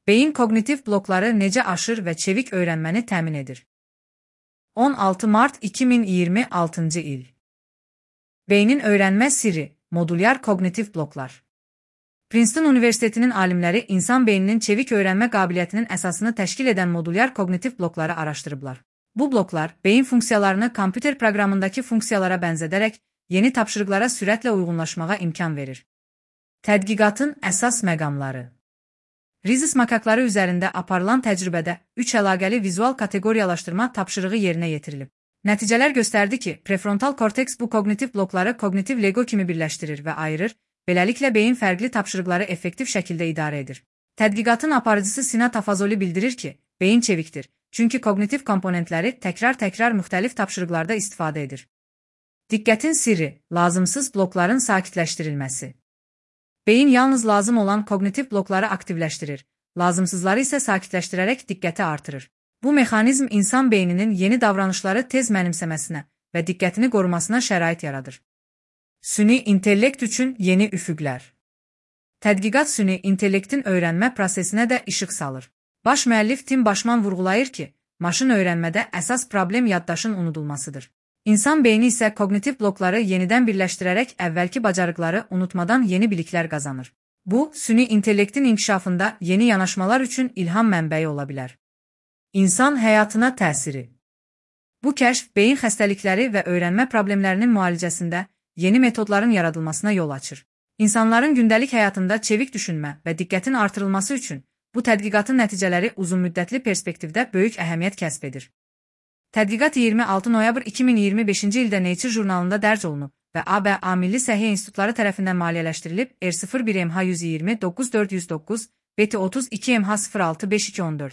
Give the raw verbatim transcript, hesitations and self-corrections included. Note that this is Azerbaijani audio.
Beyin kognitiv blokları necə aşır və çevik öyrənməni təmin edir? on altı mart iki min iyirmi altıncı il. Beynin öyrənmə sirri, modulyar kognitiv bloklar. Princeton Universitetinin alimləri insan beyninin çevik öyrənmə qabiliyyətinin əsasını təşkil edən modulyar kognitiv blokları araşdırıblar. Bu bloklar, beyin funksiyalarını kompüter proqramındakı funksiyalara bənzədərək, yeni tapşırıqlara sürətlə uyğunlaşmağa imkan verir. Tədqiqatın əsas məqamları. Rhesus makakları üzərində aparılan təcrübədə üç əlaqəli vizual kateqoriyalaşdırma tapşırığı yerinə yetirilib. Nəticələr göstərdi ki, prefrontal korteks bu kognitiv blokları kognitiv lego kimi birləşdirir və ayırır, beləliklə beyin fərqli tapşırıqları effektiv şəkildə idarə edir. Tədqiqatın aparıcısı Sina Tafazoli bildirir ki, beyin çevikdir, çünki kognitiv komponentləri təkrar-təkrar müxtəlif tapşırıqlarda istifadə edir. Diqqətin sirri, lazımsız blokların sakitləşdirilməsi. Beyin yalnız lazım olan kognitiv blokları aktivləşdirir, lazımsızları isə sakitləşdirərək diqqəti artırır. Bu mexanizm insan beyninin yeni davranışları tez mənimsəməsinə və diqqətini qorumasına şərait yaradır. Süni intellekt üçün yeni üfüqlər. Tədqiqat süni intellektin öyrənmə prosesinə də işıq salır. Baş müəllif Tim Başman vurğulayır ki, maşın öyrənmədə əsas problem yaddaşın unudulmasıdır. İnsan beyni isə kognitiv blokları yenidən birləşdirərək əvvəlki bacarıqları unutmadan yeni biliklər qazanır. Bu, süni intellektin inkişafında yeni yanaşmalar üçün ilham mənbəyi ola bilər. İnsan həyatına təsiri. Bu kəşf beyin xəstəlikləri və öyrənmə problemlərinin müalicəsində yeni metodların yaradılmasına yol açır. İnsanların gündəlik həyatında çevik düşünmə və diqqətin artırılması üçün bu tədqiqatın nəticələri uzunmüddətli perspektivdə böyük əhəmiyyət kəsb edir. Tədqiqat iyirmi altı noyabr iki min iyirmi beşinci ildə Nature jurnalında dərc olunub və A B A Milli Səhiyyə İnstitutları tərəfindən maliyyələşdirilib R sıfır bir M H yüz iyirmi doqquz dörd yüz doqquz, B T otuz iki M H sıfır altı beş iki on dörd.